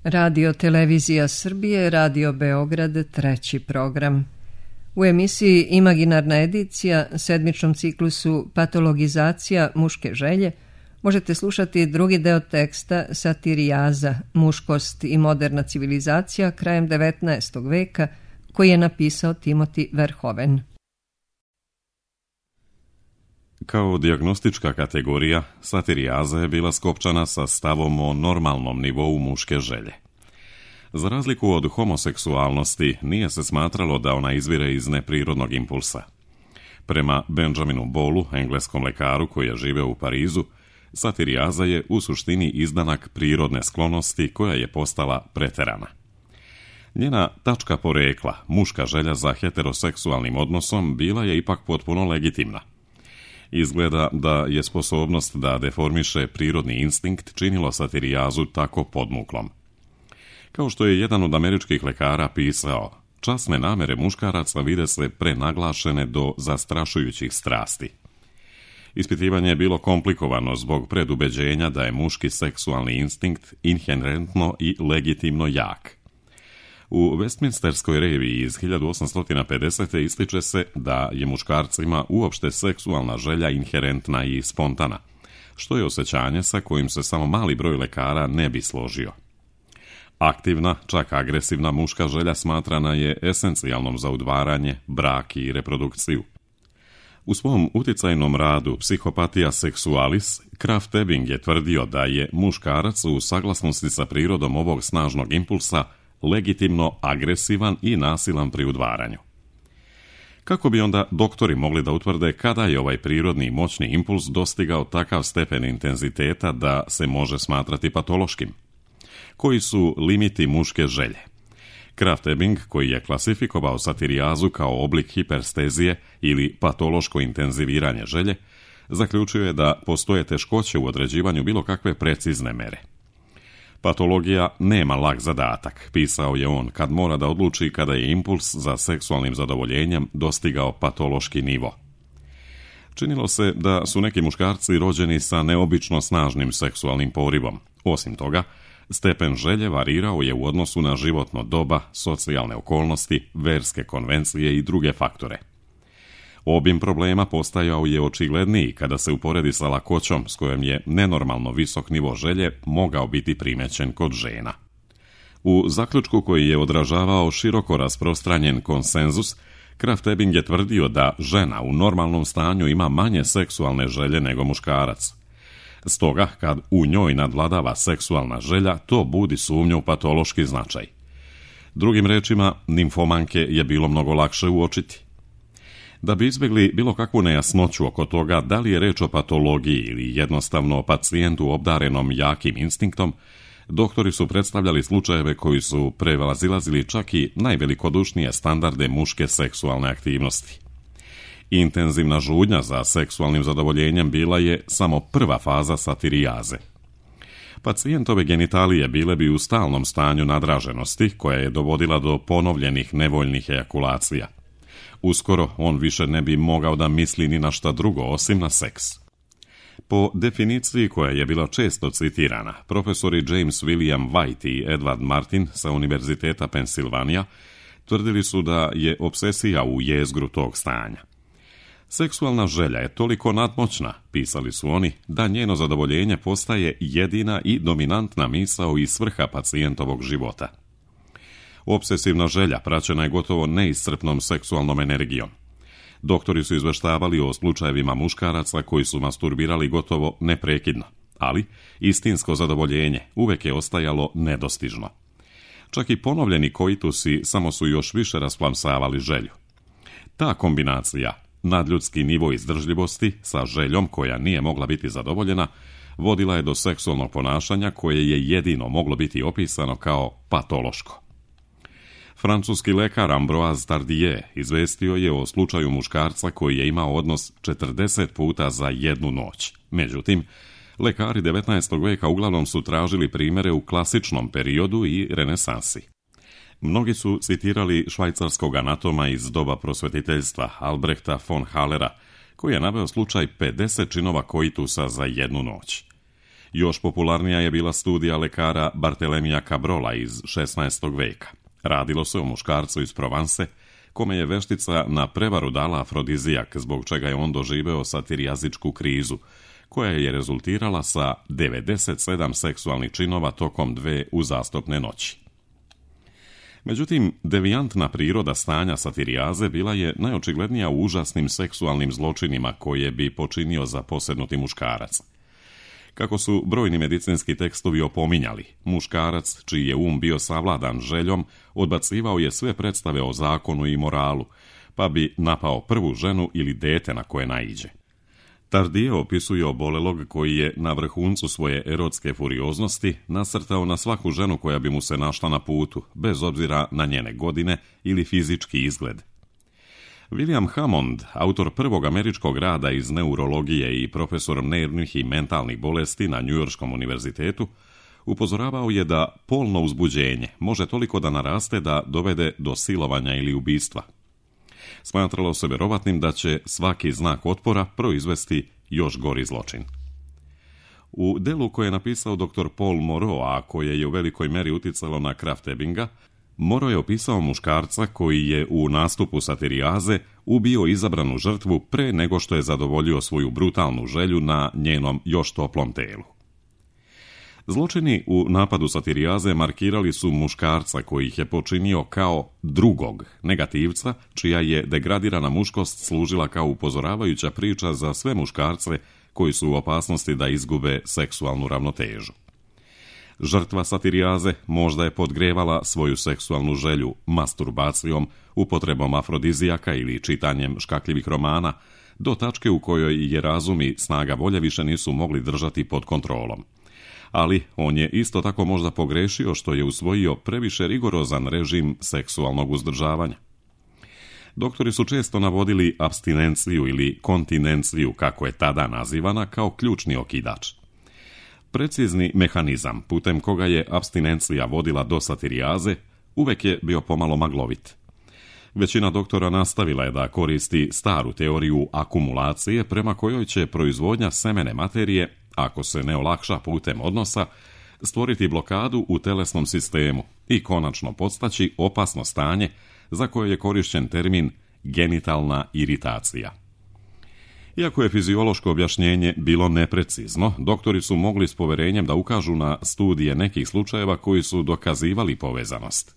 Radio Televizija Srbije, Radio Beograd, treći program. U emisiji Imaginarna edicija, sedmičnom ciklusu Patologizacija muške želje, možete slušati drugi deo teksta Satirijaza, muškost i moderna civilizacija krajem 19. veka, koji je napisao Timothy Verhoeven. Kao dijagnostička kategorija, satirijaza je bila skopčana sa stavom o normalnom nivou muške želje. Za razliku od homoseksualnosti, nije se smatralo da ona izvire iz neprirodnog impulsa. Prema Benjaminu Ballu, engleskom lekaru koji je živeo u Parizu, satirijaza je u suštini izdanak prirodne sklonosti koja je postala preterana. Njena tačka porekla, muška želja za heteroseksualnim odnosom, bila je ipak potpuno legitimna. Izgleda da je sposobnost da deformiše prirodni instinkt činilo satirijazu tako podmuklom. Kao što je jedan od američkih lekara pisao, časne namere muškaraca vide se prenaglašene do zastrašujućih strasti. Ispitivanje je bilo komplikovano zbog predubeđenja da je muški seksualni instinkt inherentno i legitimno jak. U Westminsterskoj reviji iz 1850. ističe se da je muškarcima uopšte seksualna želja inherentna i spontana, što je osjećanje sa kojim se samo mali broj lekara ne bi složio. Aktivna, čak agresivna muška želja smatrana je esencijalnom za udvaranje, brak i reprodukciju. U svom uticajnom radu Psihopatia sexualis, Krafft Ebing je tvrdio da je muškarac u saglasnosti sa prirodom ovog snažnog impulsa legitimno agresivan i nasilan pri udvaranju. Kako bi onda doktori mogli da utvrde kada je ovaj prirodni moćni impuls dostigao takav stepen intenziteta da se može smatrati patološkim? Koji su limiti muške želje? Krafft Ebing, koji je klasifikovao satirijazu kao oblik hiperstezije ili patološko intenziviranje želje, zaključio je da postoje teškoće u određivanju bilo kakve precizne mere. Patologija nema lak zadatak, pisao je on, kad mora da odluči kada je impuls za seksualnim zadovoljenjem dostigao patološki nivo. Činilo se da su neki muškarci rođeni sa neobično snažnim seksualnim porivom. Osim toga, stepen želje varirao je u odnosu na životno doba, socijalne okolnosti, verske konvencije i druge faktore. Obim problema postajao je očigledniji kada se uporedi sa lakoćom s kojom je nenormalno visok nivo želje mogao biti primećen kod žena. U zaključku koji je odražavao široko rasprostranjen konsenzus, Krafft Ebing je tvrdio da žena u normalnom stanju ima manje seksualne želje nego muškarac. Stoga, kad u njoj nadvladava seksualna želja, to budi sumnju u patološki značaj. Drugim rečima, nimfomanke je bilo mnogo lakše uočiti. Da bi izbjegli bilo kakvu nejasnoću oko toga da li je reč o patologiji ili jednostavno o pacijentu obdarenom jakim instinktom, doktori su predstavljali slučajeve koji su prevazilazili čak i najvelikodušnije standarde muške seksualne aktivnosti. Intenzivna žudnja za seksualnim zadovoljenjem bila je samo prva faza satirijaze. Pacijentove genitalije bile bi u stalnom stanju nadraženosti koja je dovodila do ponovljenih nevoljnih ejakulacija. Uskoro on više ne bi mogao da misli ni na šta drugo osim na seks. Po definiciji koja je bila često citirana, profesori James William White i Edward Martin sa Univerziteta Pensilvanija tvrdili su da je obsesija u jezgru tog stanja. Seksualna želja je toliko nadmoćna, pisali su oni, da njeno zadovoljenje postaje jedina i dominantna misao i svrha pacijentovog života. Obsesivna želja praćena je gotovo neiscrpnom seksualnom energijom. Doktori su izveštavali o slučajevima muškaraca koji su masturbirali gotovo neprekidno, ali istinsko zadovoljenje uvek je ostajalo nedostižno. Čak i ponovljeni koitusi samo su još više rasplamsavali želju. Ta kombinacija, nadljudski nivo izdržljivosti sa željom koja nije mogla biti zadovoljena, vodila je do seksualnog ponašanja koje je jedino moglo biti opisano kao patološko. Francuski lekar Ambroise Tardieu izvestio je o slučaju muškarca koji je imao odnos 40 puta za jednu noć. Međutim, lekari 19. veka uglavnom su tražili primere u klasičnom periodu i renesansi. Mnogi su citirali švajcarskog anatoma iz doba prosvetiteljstva Albrechta von Hallera, koji je naveo slučaj 50 činova koitusa za jednu noć. Još popularnija je bila studija lekara Bartelemija Cabrola iz 16. veka. Radilo se o muškarcu iz Provence, kome je veštica na prevaru dala afrodizijak, zbog čega je on doživeo satirijazičku krizu, koja je rezultirala sa 97 seksualnih činova tokom 2 uzastopne noći. Međutim, devijantna priroda stanja satirijaze bila je najočiglednija u užasnim seksualnim zločinima koje bi počinio zaposjednuti muškarac. Kako su brojni medicinski tekstovi opominjali, muškarac, čiji je bio savladan željom, odbacivao je sve predstave o zakonu i moralu, pa bi napao prvu ženu ili dete na koje naiđe. Tardije opisuje obolelog koji je na vrhuncu svoje erotske furioznosti nasrtao na svaku ženu koja bi mu se našla na putu, bez obzira na njene godine ili fizički izgled. William Hammond, autor prvog američkog rada iz neurologije i profesor nervnih i mentalnih bolesti na Njujorškom univerzitetu, upozoravao je da polno uzbuđenje može toliko da naraste da dovede do silovanja ili ubistva. Smatralo se vjerovatnim da će svaki znak otpora proizvesti još gori zločin. U delu koje je napisao dr. Paul Moreau, a koje je u velikoj meri uticalo na Krafft Ebinga, Moreau je opisao muškarca koji je u nastupu satirijaze ubio izabranu žrtvu pre nego što je zadovoljio svoju brutalnu želju na njenom još toplom telu. Zločini u napadu satirijaze markirali su muškarca koji ih je počinio kao drugog, negativca, čija je degradirana muškost služila kao upozoravajuća priča za sve muškarce koji su u opasnosti da izgube seksualnu ravnotežu. Žrtva satirijaze možda je podgrevala svoju seksualnu želju masturbacijom, upotrebom afrodizijaka ili čitanjem škakljivih romana, do tačke u kojoj je razum i snaga volje više nisu mogli držati pod kontrolom. Ali on je isto tako možda pogrešio što je usvojio previše rigorozan režim seksualnog uzdržavanja. Doktori su često navodili apstinenciju ili kontinenciju, kako je tada nazivana, kao ključni okidač. Precizni mehanizam putem koga je apstinencija vodila do satirijaze uvek je bio pomalo maglovit. Većina doktora nastavila je da koristi staru teoriju akumulacije prema kojoj će proizvodnja semene materije, ako se ne olakša putem odnosa, stvoriti blokadu u telesnom sistemu i konačno podstaći opasno stanje za koje je korišćen termin genitalna iritacija. Iako je fiziološko objašnjenje bilo neprecizno, doktori su mogli s poverenjem da ukažu na studije nekih slučajeva koji su dokazivali povezanost.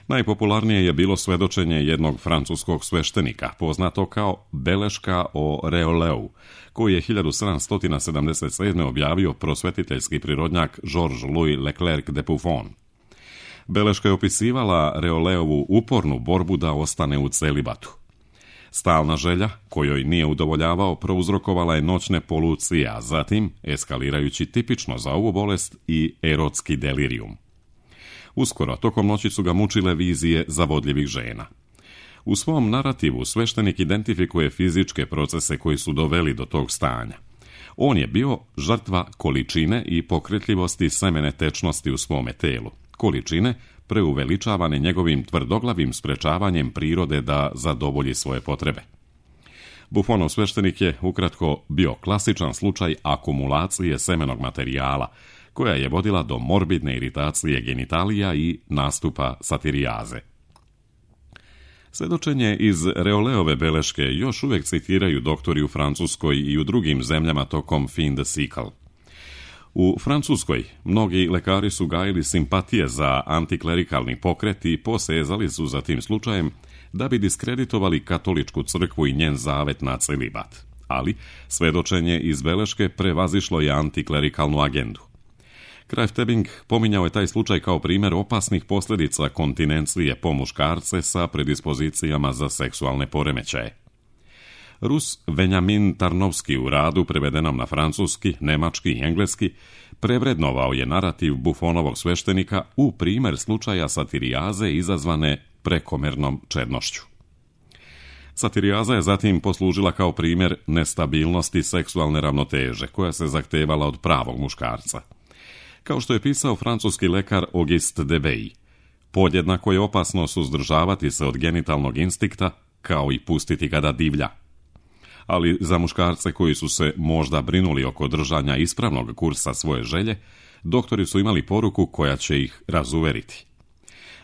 Najpopularnije je bilo svedočenje jednog francuskog sveštenika, poznato kao beleška o Reoleu, koji je 1777. objavio prosvetiteljski prirodnjak Georges-Louis Leclerc de Buffon. Beleška je opisivala Reoleovu upornu borbu da ostane u celibatu. Stalna želja, kojoj nije udovoljavao, prouzrokovala je noćne polucije, a zatim, eskalirajući tipično za ovu bolest, i erotski delirijum. Uskoro, tokom noći su ga mučile vizije zavodljivih žena. U svom narativu sveštenik identifikuje fizičke procese koji su doveli do tog stanja. On je bio žrtva količine i pokretljivosti semene tečnosti u svome telu. Količine preuveličavane njegovim tvrdoglavim sprečavanjem prirode da zadovolji svoje potrebe. Buffonov sveštenik je ukratko bio klasičan slučaj akumulacije semenog materijala, koja je vodila do morbidne iritacije genitalija i nastupa satirijaze. Svedočenje iz Reoleove beleške još uvijek citiraju doktori u Francuskoj i u drugim zemljama tokom fin de siècle. U Francuskoj mnogi lekari su gajili simpatije za antiklerikalni pokret i posezali su za tim slučajem da bi diskreditovali katoličku crkvu i njen zavet na celibat. Ali svedočenje iz beleške prevazišlo je antiklerikalnu agendu. Krafft Ebing pominjao je taj slučaj kao primjer opasnih posljedica kontinencije po muškarce sa predispozicijama za seksualne poremećaje. Rus Venjamin Tarnovski u radu prevedenom na francuski, nemački i engleski prevrednovao je narativ Buffonovog sveštenika u primjer slučaja satirijaze izazvane prekomernom čednošću. Satirijaza je zatim poslužila kao primjer nestabilnosti seksualne ravnoteže koja se zahtevala od pravog muškarca. Kao što je pisao francuski lekar Auguste Debey, podjednako je opasno suzdržavati se od genitalnog instinkta kao i pustiti ga da divlja. ali za muškarce koji su se možda brinuli oko držanja ispravnog kursa svoje želje, doktori su imali poruku koja će ih razuveriti.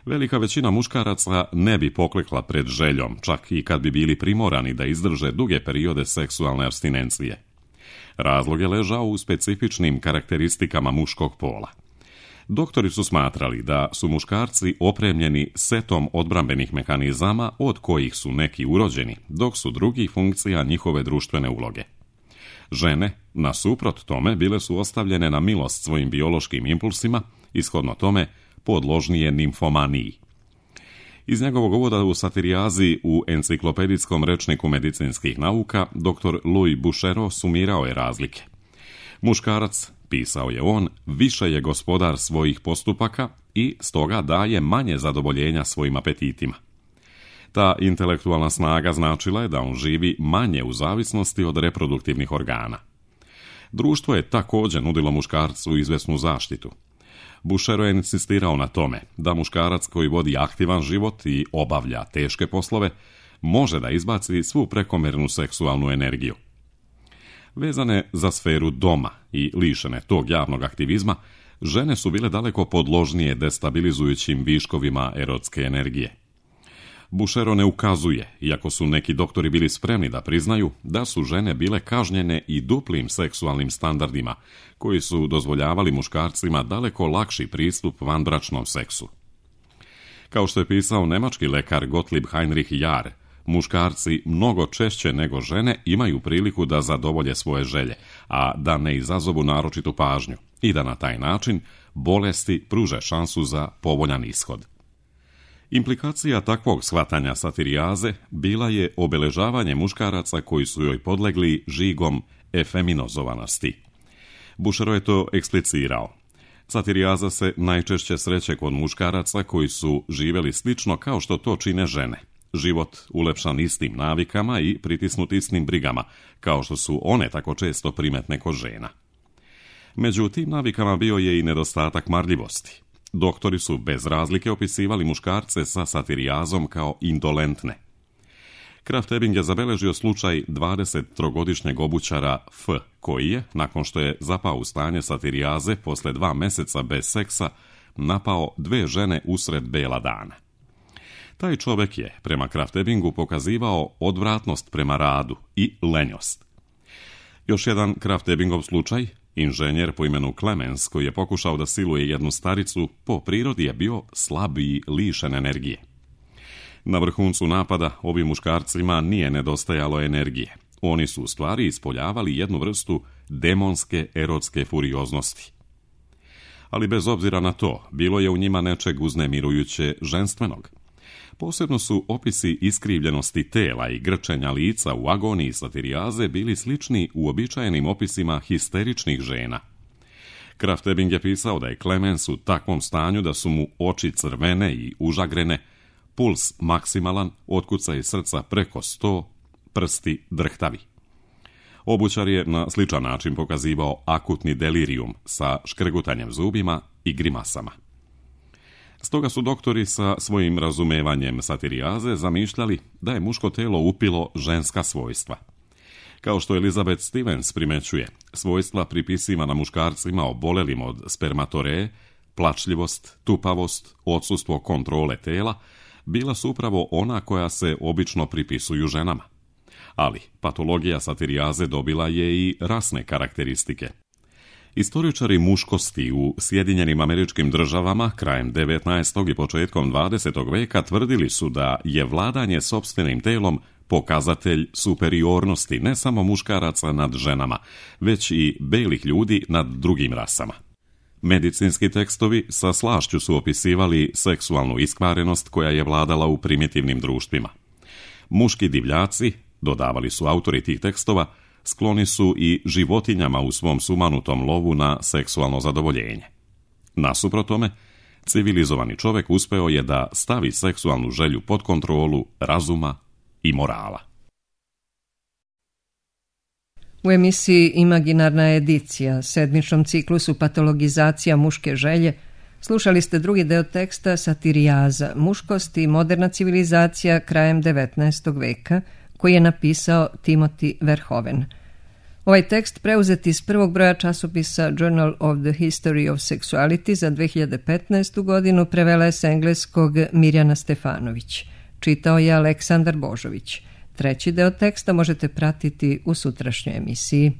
Velika većina muškaraca ne bi poklekla pred željom, čak i kad bi bili primorani da izdrže duge periode seksualne apstinencije. Razlog je ležao u specifičnim karakteristikama muškog pola. Doktori su smatrali da su muškarci opremljeni setom odbrambenih mehanizama od kojih su neki urođeni, dok su drugi funkcija njihove društvene uloge. Žene, nasuprot tome, bile su ostavljene na milost svojim biološkim impulsima, ishodno tome podložnije nimfomaniji. Iz njegovog uvoda u satirijazi u enciklopedijskom rečniku medicinskih nauka, dr. Louis Bouchereau sumirao je razlike. Muškarac, pisao je on, više je gospodar svojih postupaka i stoga daje manje zadovoljenja svojim apetitima. Ta intelektualna snaga značila je da on živi manje u zavisnosti od reproduktivnih organa. Društvo je također nudilo muškarcu izvesnu zaštitu. Bouchereau je insistirao na tome da muškarac koji vodi aktivan život i obavlja teške poslove može da izbaci svu prekomjernu seksualnu energiju. Vezane za sferu doma i lišene tog javnog aktivizma, žene su bile daleko podložnije destabilizujućim viškovima erotske energije. Bouchereau ne ukazuje, iako su neki doktori bili spremni da priznaju, da su žene bile kažnjene i duplim seksualnim standardima, koji su dozvoljavali muškarcima daleko lakši pristup vanbračnom seksu. Kao što je pisao nemački lekar Gottlieb Heinrich Jahr, muškarci mnogo češće nego žene imaju priliku da zadovolje svoje želje, a da ne izazovu naročitu pažnju i da na taj način bolesti pruže šansu za povoljan ishod. Implikacija takvog shvatanja satirijaze bila je obeležavanje muškaraca koji su joj podlegli žigom efeminozovanosti. Bouchereau je to eksplicirao. Satirijaza se najčešće sreće kod muškaraca koji su živjeli slično kao što to čine žene. Život ulepšan istim navikama i pritisnut istim brigama, kao što su one tako često primetne kod žena. Među tim navikama bio je i nedostatak marljivosti. Doktori su bez razlike opisivali muškarce sa satirijazom kao indolentne. Krafft Ebing je zabeležio slučaj 23-godišnjeg obućara F, koji je, nakon što je zapao u stanje satirijaze posle 2 meseca bez seksa, napao 2 žene usred bela dana. Taj čovjek je, prema Krafft Ebingu, pokazivao odvratnost prema radu i lenjost. Još jedan Krafft Ebingov slučaj, inženjer po imenu Clemens, koji je pokušao da siluje jednu staricu, po prirodi je bio slab i lišen energije. Na vrhuncu napada ovim muškarcima nije nedostajalo energije. Oni su u stvari ispoljavali jednu vrstu demonske erotske furioznosti. Ali bez obzira na to, bilo je u njima nečeg uznemirujuće ženstvenog. Posebno su opisi iskrivljenosti tela i grčenja lica u agoniji satirijaze bili slični uobičajenim opisima histeričnih žena. Krafft Ebing je pisao da je Clemens u takvom stanju da su mu oči crvene i užagrene, puls maksimalan, otkucaj srca preko 100, prsti drhtavi. Obućar je na sličan način pokazivao akutni delirijum sa škrgutanjem zubima i grimasama. Stoga su doktori sa svojim razumevanjem satirijaze zamišljali da je muško telo upilo ženska svojstva. Kao što Elizabeth Stevens primećuje, svojstva pripisivana muškarcima obolelim od spermatoreje, plačljivost, tupavost, odsustvo kontrole tela, bila su upravo ona koja se obično pripisuju ženama. Ali patologija satirijaze dobila je i rasne karakteristike. Istoričari muškosti u Sjedinjenim Američkim Državama krajem 19. i početkom 20. veka tvrdili su da je vladanje sopstvenim telom pokazatelj superiornosti ne samo muškaraca nad ženama, već i belih ljudi nad drugim rasama. Medicinski tekstovi sa slašću su opisivali seksualnu iskvarenost koja je vladala u primitivnim društvima. Muški divljaci, dodavali su autori tih tekstova, skloni su i životinjama u svom sumanutom lovu na seksualno zadovoljenje. Nasuprot tome, civilizovani čovjek uspeo je da stavi seksualnu želju pod kontrolu razuma i morala. U emisiji Imaginarna edicija, sedmičnom ciklusu Patologizacija muške želje, slušali ste drugi deo teksta Satirijaza, muškost i moderna civilizacija krajem 19. veka, koji je napisao Timothy Verhoeven. Ovaj tekst preuzet iz prvog broja časopisa Journal of the History of Sexuality za 2015. godinu prevela je s engleskog Mirjana Stefanović. Čitao je Aleksandar Božović. Treći deo teksta možete pratiti u sutrašnjoj emisiji.